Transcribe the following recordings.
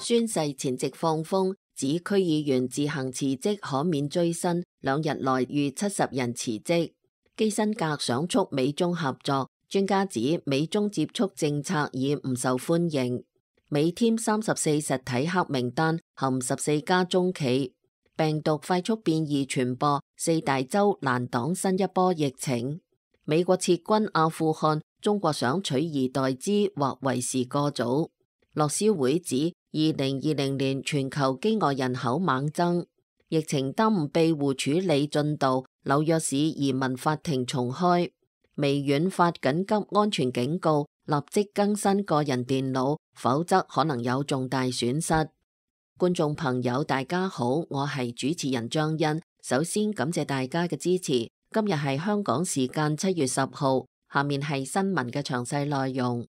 宣誓前夕放風，指區議員自行辭職可免追薪，2日內逾70人辭職。基辛格想促美中合作，專家指美中接觸政策已唔受歡迎。美添34實體黑名單，含14家中企。病毒快速變異傳播，4大洲難擋新一波疫情。美國撤軍阿富汗，中國想取而代之或為時過早。樂施會指2020年全球飢餓人口猛增，疫情耽誤庇護處理進度，紐約市移民法庭重開。微軟發緊急安全警告，立即更新個人電腦，否則可能有重大損失。觀眾朋友大家好，我係主持人張欣，首先感謝大家嘅支持。今日係香港時間7月10號，下面係新聞嘅詳細內容。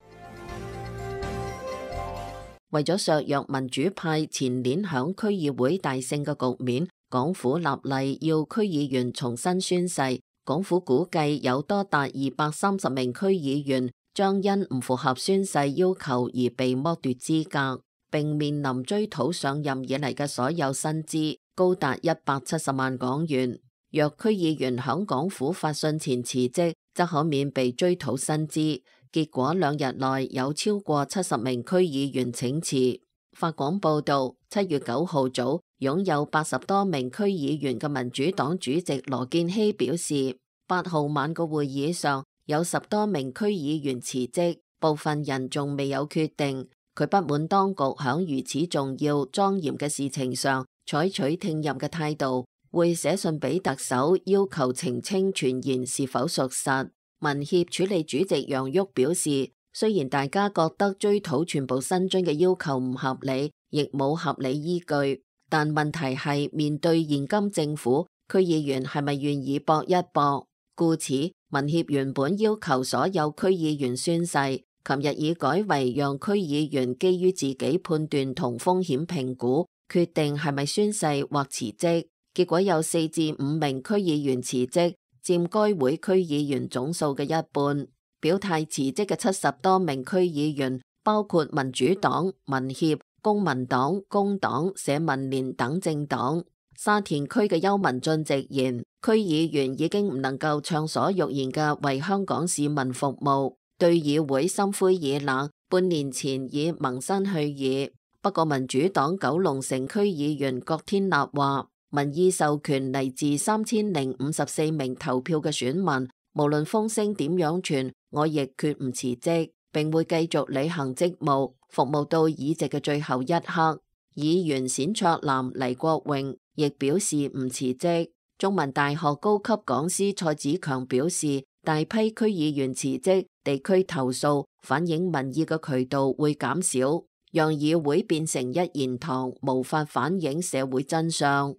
為咗削弱民主派前年響區議會大勝嘅局面，港府立例要區議員重新宣誓。港府估計有多達230名區議員將因唔符合宣誓要求而被剝奪資格，並面臨追討上任以嚟嘅所有薪資，高達170萬港元。若區議員響港府發信前辭職，則可免被追討薪資。結果2日內有超過70名區議員請辭。法廣報道，7月9號早，擁有80多名區議員嘅民主黨主席羅健熙表示，8號晚個會議上有10多名區議員辭職，部分人仲未有決定。佢不滿當局響如此重要莊嚴嘅事情上採取聽任嘅態度，會寫信俾特首要求澄清傳言是否屬實。民協處理主席楊旭表示，雖然大家覺得追討全部薪津嘅要求唔合理，亦冇合理依據，但問題係面對現今政府，區議員係咪願意搏一搏？故此，民協原本要求所有區議員宣誓，琴日已改為讓區議員基於自己判斷同風險評估，決定係咪宣誓或辭職。結果有4至5名區議員辭職，佔該會區議員總數嘅一半。表態辭職嘅70多名區議員，包括民主黨、民協、公民黨、工黨、社民連等政黨。沙田區嘅邱文俊直言，區議員已經唔能夠暢所欲言嘅為香港市民服務，對議會心灰意冷，半年前已萌生去意。不過民主黨九龍城區議員郭天立話，民意授權嚟自3054名投票嘅選民，無論風聲點樣傳，我亦決唔辭職，並會繼續履行職務，服務到議席嘅最後一刻。議員冼卓南、黎國榮亦表示唔辭職。中文大學高級講師蔡子強表示，大批區議員辭職，地區投訴反映民意嘅渠道會減少，讓議會變成一言堂，無法反映社會真相。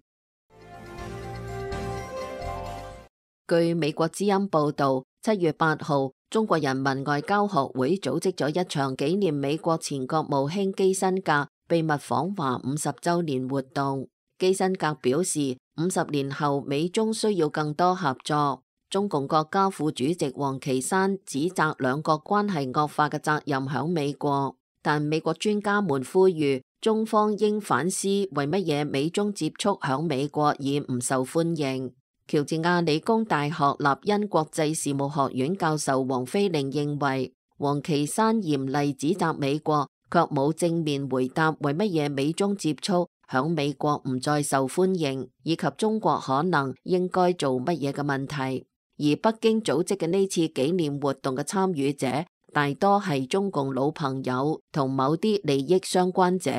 據美國之音報道，7月8號，中國人民外交學會組織咗一場紀念美國前國務卿基辛格秘密訪華50週年活動。基辛格表示，50年後美中需要更多合作。中共國家副主席王岐山指責兩國關係惡化嘅責任響美國，但美國專家們呼籲中方應反思為乜嘢美中接觸響美國已唔受歡迎。喬治亞理工大學立因國際事務學院教授黃飛凌認為，王岐山嚴厲指責美國，卻冇正面回答為乜嘢美中接觸響美國唔再受歡迎，以及中國可能應該做乜嘢嘅問題。而北京組織嘅呢次紀念活動嘅參與者，大多係中共老朋友同某啲利益相關者，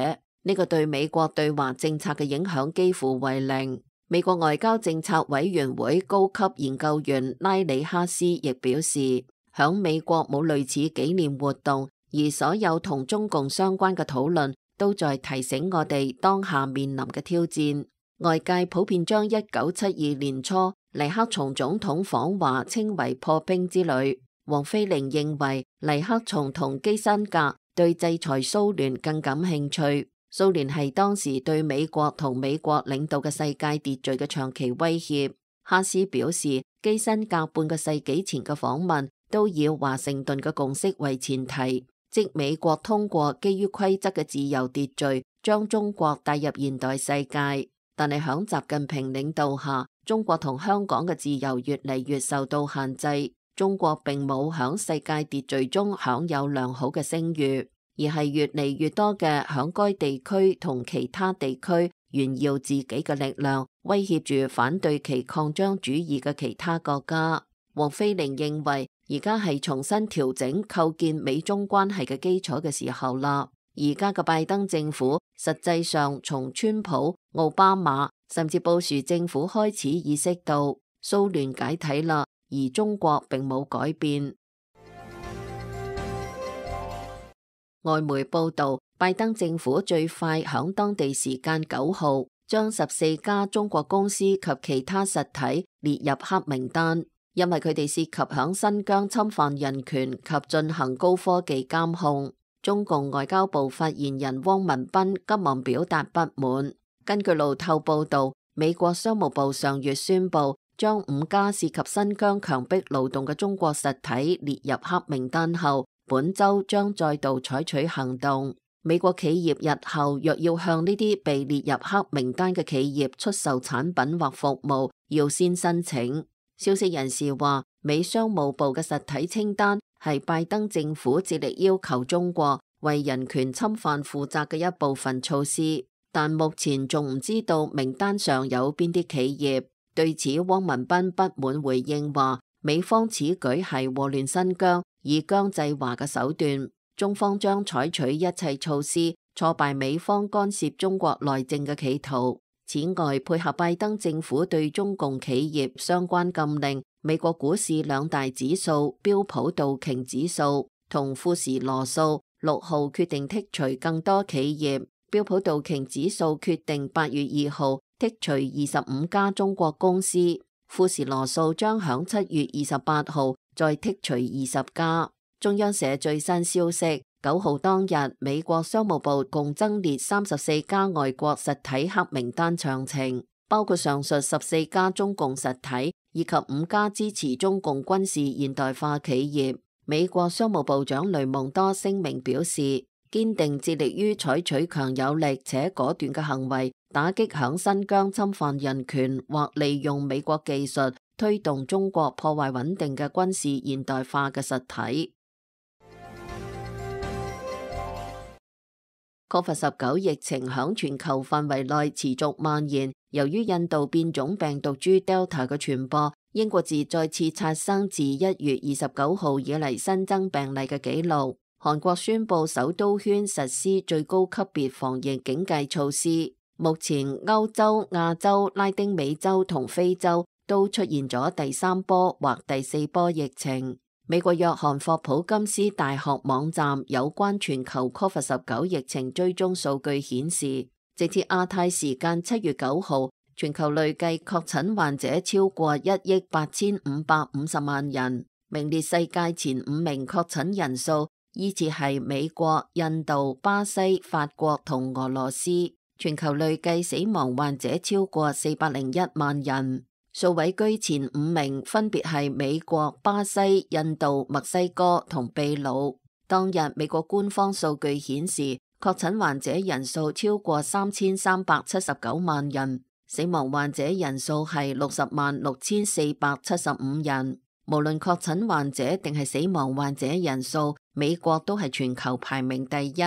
呢個對美國對華政策嘅影響幾乎為零。美國外交政策委員會高級研究員拉里哈斯亦表示，響美國冇類似紀念活動，而所有同中共相關嘅討論都在提醒我哋當下面臨嘅挑戰。外界普遍將1972年初尼克松總統訪華稱為破冰之旅。黃飛凌認為尼克松同基辛格對制裁蘇聯更感興趣。蘇聯係當時對美國同美國領導嘅世界秩序嘅長期威脅。哈斯表示，基辛格半個世紀前嘅訪問都以華盛頓嘅共識為前提，即美國通過基於規則嘅自由秩序將中國帶入現代世界。但係響習近平領導下，中國同香港嘅自由越嚟越受到限制。中國並冇響世界秩序中享有良好嘅聲譽，而係越嚟越多嘅響該地區同其他地區炫耀自己嘅力量，威脅住反對其擴張主義嘅其他國家。黃飛玲認為，而家係重新調整構建美中關係嘅基礎嘅時候啦。而家嘅拜登政府實際上從川普、奧巴馬甚至布殊政府開始意識到蘇聯解體啦，而中國並冇改變。外媒報道，拜登政府最快響當地時間9號將14家中國公司及其他實體列入黑名單，因為佢哋涉及響新疆侵犯人權及進行高科技監控。中共外交部發言人汪文斌急忙表達不滿。根據路透報道，美國商務部上月宣布將5家涉及新疆強迫勞動嘅中國實體列入黑名單後，本周將再度採取行動。美國企業日後若要向呢啲被列入黑名單嘅企業出售產品或服務，要先申請。消息人士話，美商務部嘅實體清單係拜登政府致力要求中國為人權侵犯負責嘅一部分措施，但目前仲唔知道名單上有邊啲企業。對此，汪文斌不滿回應話，美方此舉係禍亂新疆，以疆制華嘅手段，中方將採取一切措施挫敗美方干涉中國內政嘅企圖。此外，配合拜登政府對中共企業相關禁令，美國股市2大指數標普道瓊指數同富時羅素6號決定剔除更多企業。標普道瓊指數決定8月2號剔除25家中國公司，富時羅素將響7月28號再剔除20家。中央社最新消息，9號當日，美國商務部共增列34家外國實體黑名單詳情，包括上述14家中共實體以及5家支持中共軍事現代化企業。美國商務部長雷蒙多聲明表示，堅定致力於採取強有力且果斷嘅行為，打擊響新疆侵犯人權或利用美國技術推動中國破壞穩定嘅軍事現代化嘅實體。COVID-19 疫情響全球範圍內持續蔓延，由於印度變種病毒株 Delta 嘅傳播，英國自再次刷新自1月29號以嚟新增病例嘅紀錄。韓國宣布首都圈實施最高級別防疫警戒措施。目前歐洲、亞洲、拉丁美洲同非洲都出現咗第3波或第4波疫情。美國約翰霍普金斯大學網站有關全球 COVID-19 疫情追蹤數據顯示，直至亞太時間7月9號，全球累計確診患者超過1億8550萬人，名列世界前5名確診人數，依次係美國、印度、巴西、法國同俄羅斯。全球累計死亡患者超過401萬人。數位居前5名分別係美國、巴西、印度、墨西哥同秘魯。當日美國官方數據顯示，確診患者人數超過3379萬人，死亡患者人數係606475人。無論確診患者定係死亡患者人數，美國都係全球排名第一。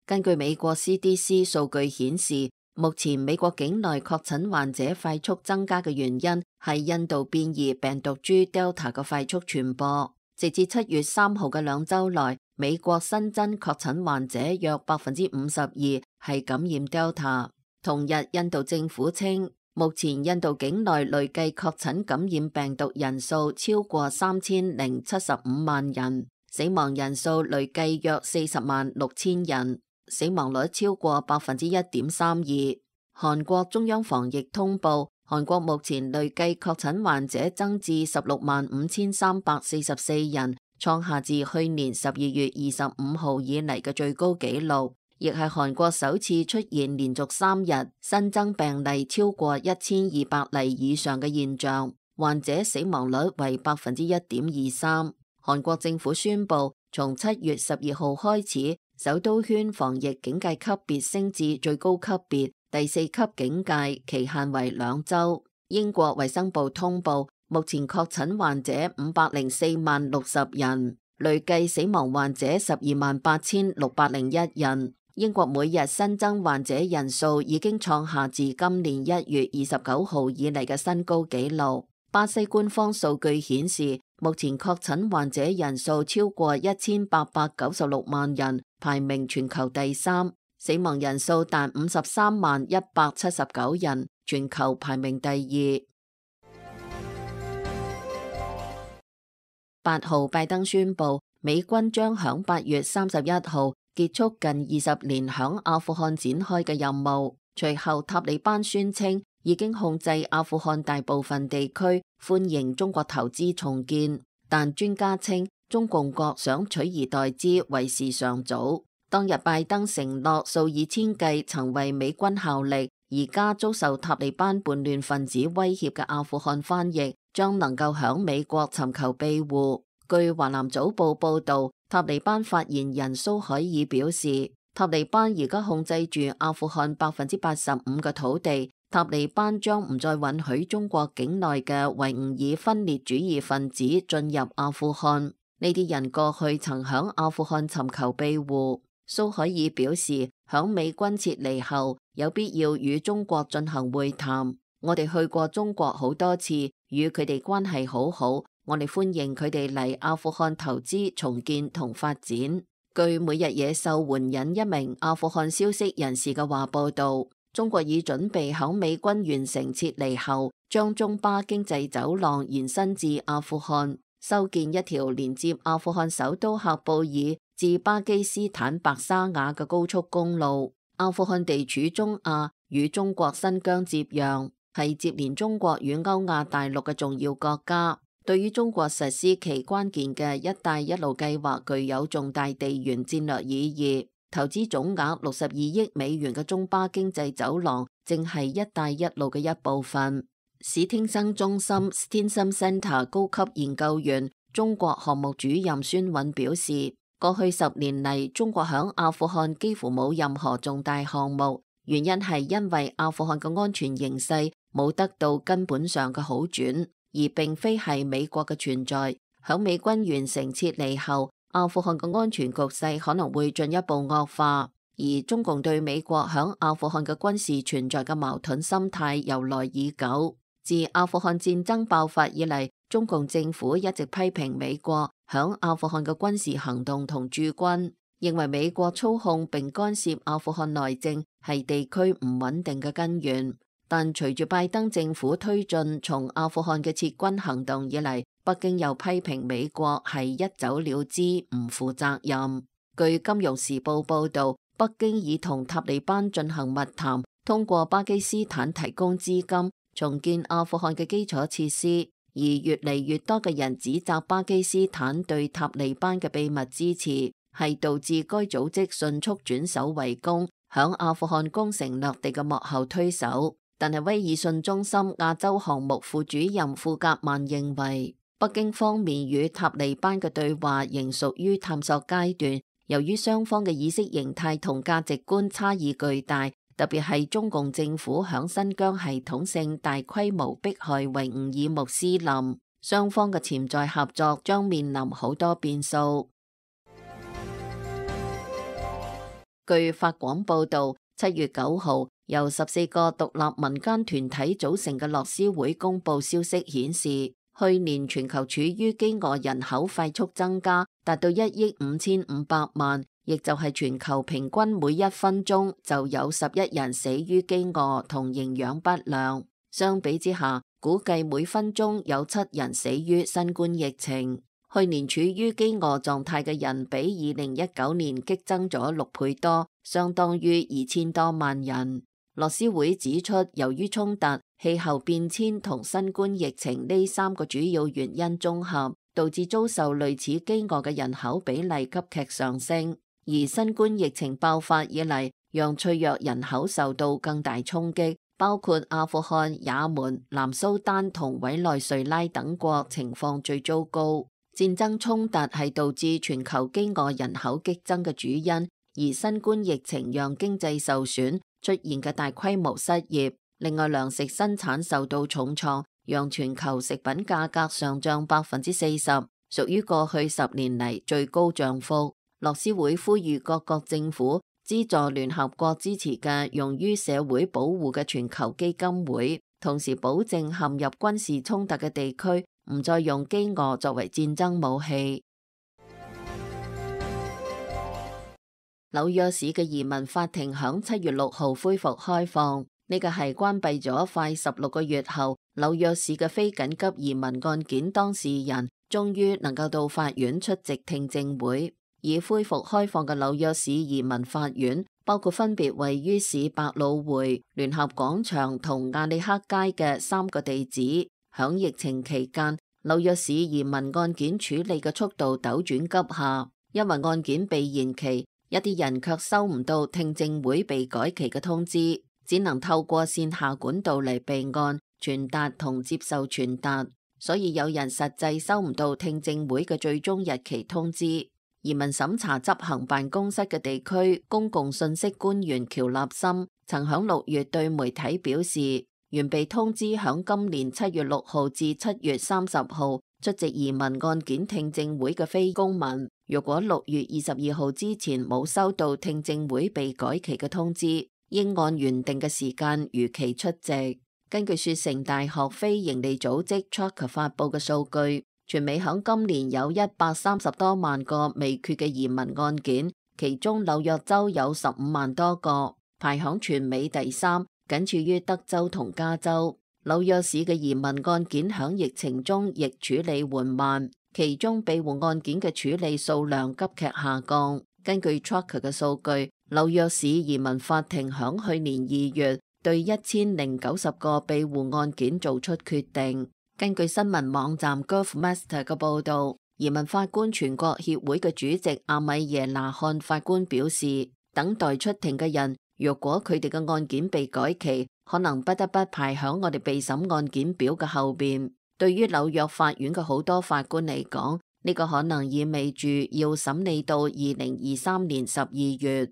根據美國 CDC 數據顯示，目前美國境內確診患者快速增加嘅原因係印度變異病毒株 Delta 嘅快速傳播。直至7月3號嘅2週內，美國新增確診患者約52%係感染 Delta。同日，印度政府稱，目前印度境內累計確診感染病毒人數超過3075萬人，死亡人數累計約406000人。死亡率超過1.32%。韓國中央防疫通報，韓國目前累計確診患者增至165344人，創下自去年12月25號以嚟嘅最高紀錄，亦係韓國首次出現連續3日新增病例超過1200例以上嘅現象，患者死亡率為1.23%。韓國政府宣布，從7月12號開始，首都圈防疫警戒級別升至最高級別第4級警戒，期限為2週。英國衛生部通報，目前確診患者504萬60人，累計死亡患者128601人。英國每日新增患者人數已經創下自今年1月29號以嚟嘅新高紀錄。巴西官方數據顯示，目前確診患者人數超過1896萬人，排名全球第3，死亡人數達53萬179人，全球排名第2。8號，拜登宣布，美軍將響8月31號結束近20年響阿富汗展開嘅任務。隨後，塔利班宣稱已經控制阿富汗大部分地區，歡迎中國投資重建。但專家稱，中共國想取而代之為時尚早。當日拜登承諾數以千計曾為美軍效力，而家遭受塔利班叛亂分子威脅嘅阿富汗翻譯將能夠響美國尋求庇護。據華南早報報道，塔利班發言人蘇海爾表示，塔利班而家控制住阿富汗85%嘅土地，塔利班將唔再允許中國境內嘅維吾爾分裂主義分子進入阿富汗。呢啲人過去曾響阿富汗尋求庇護。蘇海爾表示，響美軍撤離後，有必要與中國進行會談。我哋去過中國好多次，與佢哋關係好好，我哋歡迎佢哋嚟阿富汗投資、重建同發展。據每日野獸援引一名阿富汗消息人士嘅話報道，中國已準備響美軍完成撤離後，將中巴經濟走廊延伸至阿富汗，修建一條連接阿富汗首都喀布爾至巴基斯坦白沙瓦嘅高速公路。阿富汗地處中亞，與中國新疆接壤，係接連中國與歐亞大陸嘅重要國家。對於中國實施其關鍵嘅一帶一路計劃具有重大地緣戰略意義。投資總額62億美元嘅中巴經濟走廊正係一帶一路嘅一部分。史汀生中心 Stimson Center 高級研究員、中國項目主任孫韻表示，過去10年嚟，中國響阿富汗幾乎冇任何重大項目，原因係因為阿富汗嘅安全形勢冇得到根本上嘅好轉，而並非係美國嘅存在。響美軍完成撤離後，阿富汗嘅安全局勢可能會進一步惡化，而中共對美國響阿富汗嘅軍事存在嘅矛盾心態由來已久。自阿富汗戰爭爆發以嚟，中共政府一直批評美國響阿富汗嘅軍事行動同駐軍，認為美國操控並干涉阿富汗內政係地區唔穩定嘅根源。但隨住拜登政府推進從阿富汗嘅撤軍行動以嚟，北京又批評美國係一走了之，唔負責任。據金融時報報道，北京已同塔利班進行密談，通過巴基斯坦提供資金重建阿富汗嘅基礎設施，而越嚟越多嘅人指責巴基斯坦對塔利班嘅秘密支持，係導致該組織迅速轉守為攻，響阿富汗攻城略地嘅幕後推手。但係威爾遜中心亞洲項目副主任庫格曼認為，北京方面與塔利班嘅對話仍屬於探索階段，由於雙方嘅意識形態同價值觀差異巨大，特別係中共政府響新疆系統性大規模迫害維吾爾穆斯林，雙方嘅潛在合作將面臨好多變數。據法廣報導，7月9號，由14個獨立民間團體組成嘅樂施會公佈消息顯示，去年全球處於飢餓人口快速增加，達到1億5500萬，亦就係全球平均每1分鐘就有11人死於飢餓同營養不良。相比之下，估計每分鐘有7人死於新冠疫情。去年處於飢餓狀態嘅人比2019年激增咗6倍多，相當於2000多萬人。樂施會指出，由於衝突、氣候變遷同新冠疫情呢3個主要原因綜合，導致遭受類似飢餓嘅人口比例急劇上升。而新冠疫情爆發以嚟，讓脆弱人口受到更大衝擊，包括阿富汗、也門、南蘇丹同委內瑞拉等國情況最糟糕。戰爭衝突係導致全球飢餓人口激增嘅主因。而新冠疫情讓經濟受損，出現嘅大規模失業。另外，糧食生產受到重創，讓全球食品價格上漲40%，屬於過去10年嚟最高漲幅。樂施會呼籲各國政府資助聯合國支持嘅用於社會保護嘅全球基金會，同時保證陷入軍事衝突嘅地區唔再用飢餓作為戰爭武器。紐約市嘅移民法庭響7月6號恢復開放，呢個係關閉咗快16個月後，紐約市嘅非緊急移民案件當事人終於能夠到法院出席聽證會。已恢復開放嘅紐約市移民法院包括分別位於市百老匯、聯合廣場同亞利克街嘅3個地址。響疫情期間，紐約市移民案件處理嘅速度陡轉急下，因為案件被延期，一啲人卻收唔到聽證會被改期嘅通知，只能透過線下管道嚟備案、傳達同接受傳達，所以有人實際收唔到聽證會嘅最終日期通知。移民審查執行辦公室嘅地區公共信息官員喬立森曾響6月對媒體表示，原被通知響今年7月6號至7月30號出席移民案件聽證會嘅非公民，如果6月22號之前冇收到聽證會被改期嘅通知，應按原定嘅時間如期出席。根據雪城大學非營利組織 Tracker 發佈嘅數據，全美響今年有130多萬個未決嘅移民案件，其中紐約州有15萬多個，排響全美第3，僅次於德州同加州。紐約市嘅移民案件響疫情中亦處理緩慢，其中庇護案件嘅處理數量急劇下降。根據 Tracker 嘅數據，紐約市移民法庭響去年2月對1090個庇護案件做出決定。根據新聞網站 GovMaster 嘅報導，移民法官全國協會嘅主席阿米耶拿漢法官表示，等待出庭嘅人，若果佢哋嘅案件被改期，可能不得不排響我哋備審案件表嘅後邊。對於紐約法院嘅好多法官嚟講，呢個可能意味住要審理到2023年12月。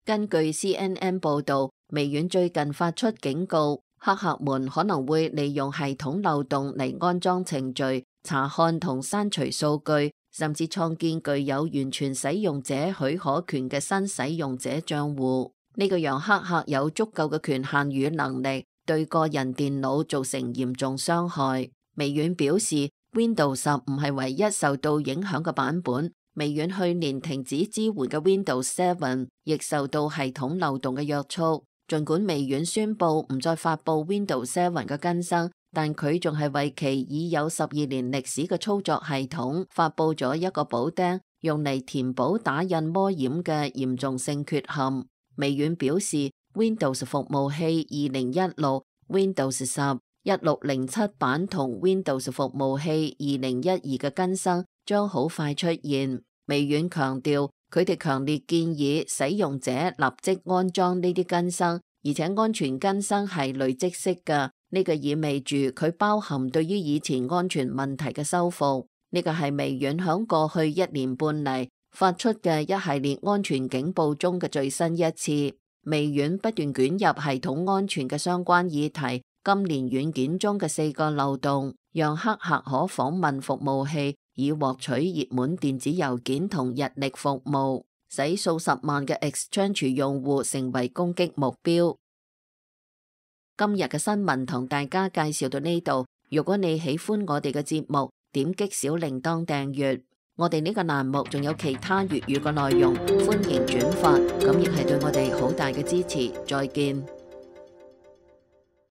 根據 CNN 報導，微軟最近發出警告，黑客們可能會利用系統漏洞嚟安裝程序、查看同刪除數據，甚至創建具有完全使用者許可權嘅新使用者賬戶。呢個讓黑客有足夠嘅權限與能力，對個人電腦造成嚴重傷害。微軟表示 Windows 10唔係唯一受到影響嘅版本，微軟去年停止支援嘅 Windows 7亦受到系統漏洞嘅約束。儘管微軟宣布唔再發佈 Windows 7嘅更新，但佢仲係為其已有12年歷史嘅操作系統發佈咗一個補丁，用嚟填補打印魔掩嘅嚴重性缺陷。微軟表示 Windows 服務器2016、Windows 10、1607版同 Windows 服務器2012嘅更新將好快出現。微軟強調，佢哋強烈建議使用者立即安裝呢啲更新，而且安全更新係累積式嘅。呢個意味住佢包含對於以前安全問題嘅修復。呢個係微軟響過去1年半嚟發出嘅一系列安全警報中嘅最新一次。微軟不斷捲入系統安全嘅相關議題。今年軟件中嘅4個漏洞，讓黑客可訪問服務器，以獲取熱門電子郵件同日曆服務，使數十萬嘅 Exchange 用戶成為攻擊目標。今日嘅新聞同大家介紹到呢度。如果你喜歡我哋嘅節目，點擊小鈴鐺訂閱。我哋呢個欄目仲有其他粵語嘅內容，歡迎轉發，咁亦係對我哋好大嘅支持。再見。